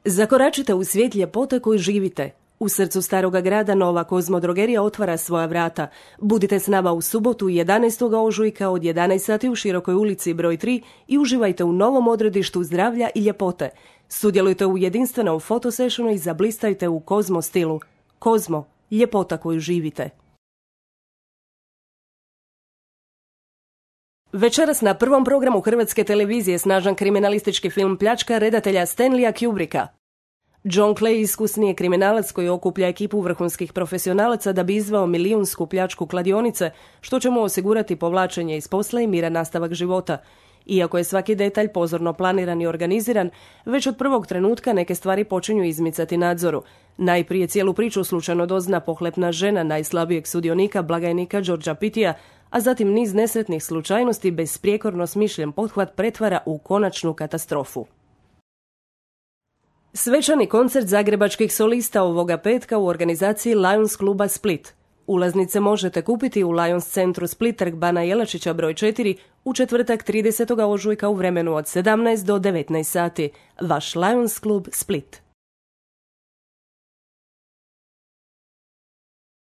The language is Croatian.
Zakoračite u svijet ljepote koju živite. U srcu staroga grada nova Kozmo drogerija otvara svoja vrata. Budite s nama u subotu 11. ožujka od 11 sati u Širokoj ulici broj 3 i uživajte u novom odredištu zdravlja i ljepote. Sudjelujte u jedinstvenom fotosessionu i zablistajte u Kozmo stilu. Kozmo, ljepota koju živite. Večeras na prvom programu Hrvatske televizije snažan kriminalistički film Pljačka redatelja Stanleya Kubricka. John Clay iskusni je kriminalac koji okuplja ekipu vrhunskih profesionalaca da bi izveo milijunsku pljačku kladionice, što će mu osigurati povlačenje iz posla i miran nastavak života. Iako je svaki detalj pozorno planiran i organiziran, već od prvog trenutka neke stvari počinju izmicati nadzoru. Najprije cijelu priču slučajno dozna pohlepna žena najslabijeg sudionika, blagajnika Georgea Pittija, a zatim niz nesretnih slučajnosti besprijekorno smišljen pothvat pretvara u konačnu katastrofu. Svečani koncert zagrebačkih solista ovoga petka u organizaciji Lions kluba Split. Ulaznice možete kupiti u Lions centru Split, Trg Bana Jelačića broj 4, u četvrtak 30. ožujka u vremenu od 17 do 19 sati. Vaš Lions klub Split.